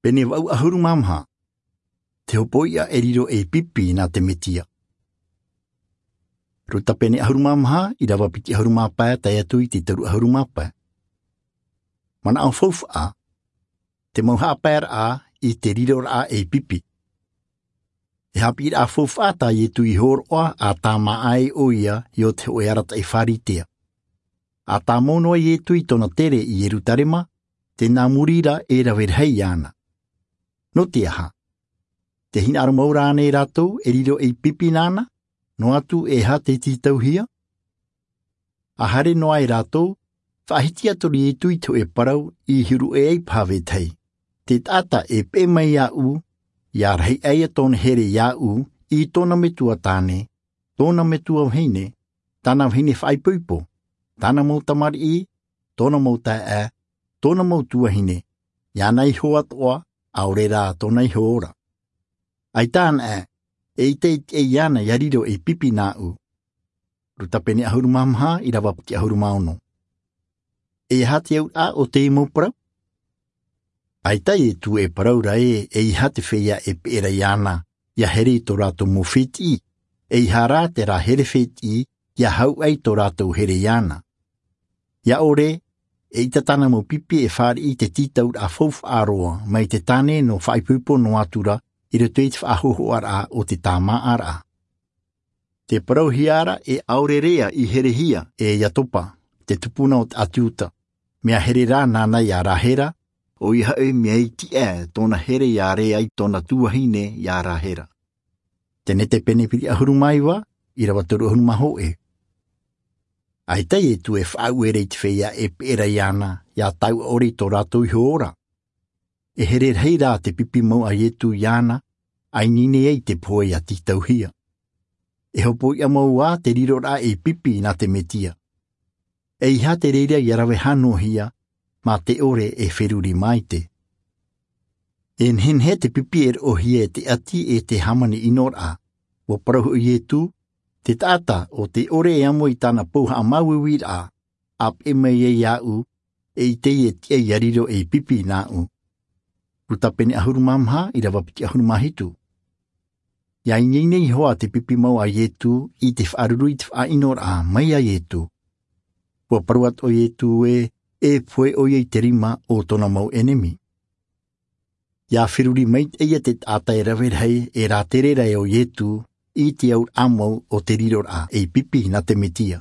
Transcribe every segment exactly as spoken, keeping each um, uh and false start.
Pene wau ahuru mamha. Te hopoia e riro e pipi nā te metia. Ruta pene ahuru mamha i rawa piti ahuru māpā tai atu i te taru ahuru māpā. Mana au faufa, te mauha pēr a i te riro a e pipi. E hapi a faufa tā i tu i horoa a tā ai o ia i o te oe arata e wharitea. A tā mono i e tui tōna tere i Yerutarema, te nā murira e rawer hei ana. No te aha. Te hina aro maura ane rātou e riro e pipi nāna, no atu e ha te titauhia. A hare noa e rātou, whahitia tori e tui tō e parau i hiru e ei pāwe tei. Te tata e pe mai a u, ia rei eia tōna here ia u, i tōna metua tāne, tōna metua heine, tāna heine whaipuipo, tāna mō tamari i, tōna mō tā e, tōna mō tuahine, ia nei hoa toa, aore rā tōna iho ora. Ai tāna e, e i te e iana ia riro e pipi nā u. Ruta pene ahuru mamha i rawa piti ahuru maono. E iha te au a o te imo parau? Ai tai e tu e parau ra e, e iha te wheia e pera iana, ia here i tō rātou mō whiti, e iha rā te rā here whiti, ia hau ai tō rātou here iana. Ia ore, e ita tāna mō pipi e whāri i te titau a faufa aroa, mai te tāne no whaipupo no atura, i roto i te whaahoho ara o te tāmā ara. Te parau hiara e aurerea i herehia e Iatopa, te tupuna o te atiuta, mea here rā nāna i a Rahera, o i hau mea iti e tōna here i a rea i tōna tuahine i a Rahera. Tene te penepiri ahuru maiwa, i rawa toru ahuru maho e. Ai tai e tu e whauere i te wheia e pera i ana, ia tau ore i tō rātou iho ora. E here hei rā te pipi mau a ietu i ana, ai nine ei te poe a titauhia. E hopo i a mau a te riro rā e pipi nā te metia. E iha te reira i arawe hanohia, mā te ore e wheruri mai te. E nhenhe te pipi e ohia e te ati e te hamani inor a, wa parahu i e te tata o te ore e amo i tāna pouha a mauiwi a, ap e mei e ia u, e i te e tia i ariro e pipi nā u. Ruta pene ahuru mamha i rawa piti ahuru mahitu. Ia i nei hoa te pipi mau a ietu i te wharuru i te whainor a mai a ietu. Kua paruat o ietu e, e poe o i te rima o tōna mau enemi. Ia whiruri mai eia te ata e rawer hei e rā terera e o ietu i te au amau o te riror a e pipi nā te metia.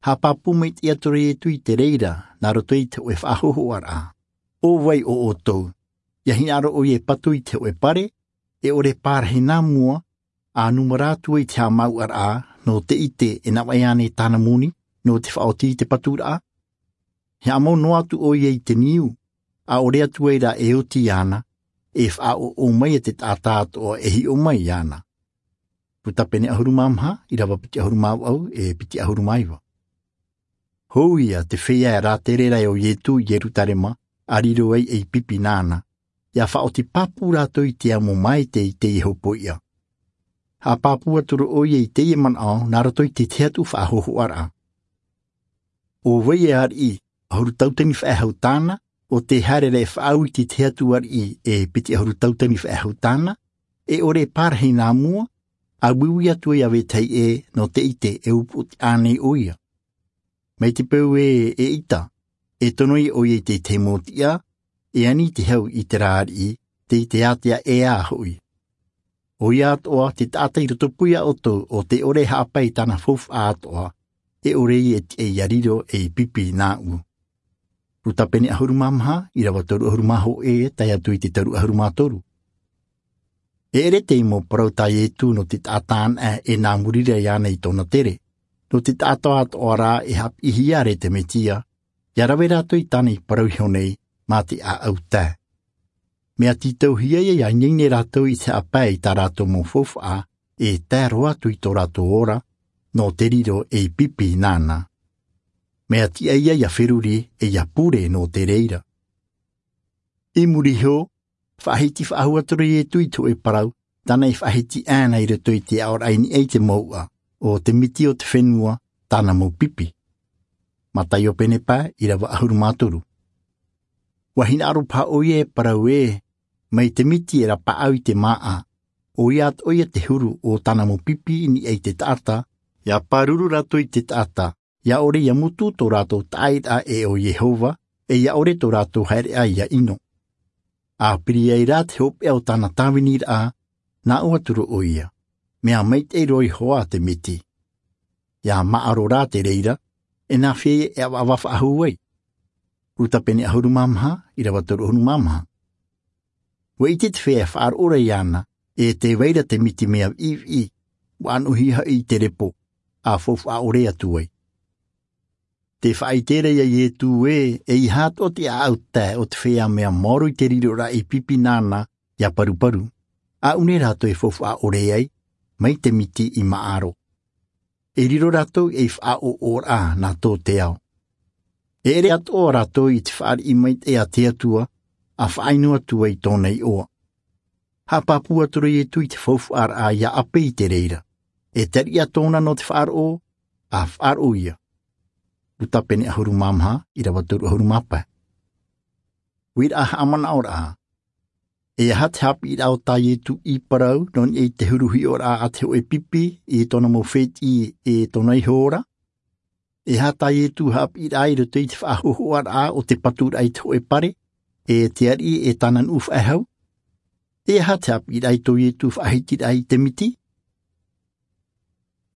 Ha papu mai te atore ietu i te reira nā roto i te oe whahoho ara. O wai o o tau, ia hinaro o i e patu i te oe pare, e ore pārhe nā mua, a numarātua i te hamau ara no te ite e nā waiane tāna muni, no te whaoti i te patura a. He amau no atu o ia i te niu, a ore atu e rā e oti ana, e wha o o mai e te tātātoa e hi o mai ana. Puta pene ahuru mamha, i rawa piti ahuru mau au e piti ahuru maiwa. Hou ia te whea e rā terera e o ietu i Yerutarema, a riro ei e pipi nāna, ia whaoti papu rātou i te amo mai te i te iho ia. Ha papu aturu o ia i te ie man ao, nā rato i te te atu whahoho ara. O wei e ar i, ahuru tautani whaahau tāna, o te harere whaau i te te atu ar i e piti ahuru tautani whaahau tāna, e ore pārhei nā mua, a wiwi atu e awe tei e no te ite e upu te ānei o ia. Mei te peu e e ita, e tonoi o ia i te te mōtia, e ani te hau i te rāri i, te i te atea e a hoi. O ia atoa te tātai roto puia o tō o te ore hāpai tāna fof atoa, e ore i e te iariro e pipi nā u. Ruta pene ahuru mamha, i rawa toru ahuru maho e, tai atu i te taru ahuru mātoru. E ere te imo parau tai e tū no te tātān e, e nā murira i ana i tōna tere. No te tātoa atoa rā e hap i hiare te metia, ia rawe rātou i tāna i parau iho nei, mā te a au tā. Mea titau hia ia ngeine rātou i te apai i tā rātou mō fofa e tā roa atu i tō rātou ora, no te riro e pipi nāna. Mea tia ia ia whiruri e ia pure no te reira. I muri heo, whahiti whahuatoro i e tui tō e parau, tāna i whahiti āna i roto i te aora aini ei te maua, o te miti o te whenua, tāna mō pipi. Matai o penepa i rawa ahuru mātoru. Wahina aro pā o ie parau e, Mai te miti e rapa au i te maa, o ia at oia te huru o tana mo pipi ni ei te taata, ia paruru rato i te taata, ia ore ia mutu tō rātou taira e o Yehova, e ia ore tō rātou haere ai ia ino. A piri ei rā te hope o tana tāwini rā, nā oa turo o ia, mea meit e roi hoa te miti. Ia maaro rā te reira, e nā whie e awa awafa ahu ai. Ruta pene ahuru mamaha, i rawa toru ahuru mamaha. Wa i te te whea whaar ora i ana, e te weira te miti mea i i, wa anuhi ha i te repo, a fofu a ore atu ai. Te whaitera ia i e tū e, e i hāto o te āuta o te whea mea moro i te riro rā i pipi nāna ia paruparu. A une rātou e fofu a ore ai, mai te miti i maaro. E riro rātou e wha o ora nā tō te ao. E ere atoa rātou i te whaari i mai te a te atua, a whainu atua i tōna i oa. Ha papua toro i e tui te fofu ar a ia ape i te reira. E tari a tōna no te whaar o, a whaar o ia. Uta pene ahuru mamha, i rawa toru ahuru mapa. Wira aha amana ora a. E aha te hapi i rao tā i tu i parau, non e te huruhi ora a te e pipi, i tōna mo whet i e tōna i hora. E ha tā i tu hapi i rai roto i te whahuhu ara a o te patura i te hoe pare, e te ari e tanan uf ahau. E aha te hapi i rai tō i tu whahiti rai te miti,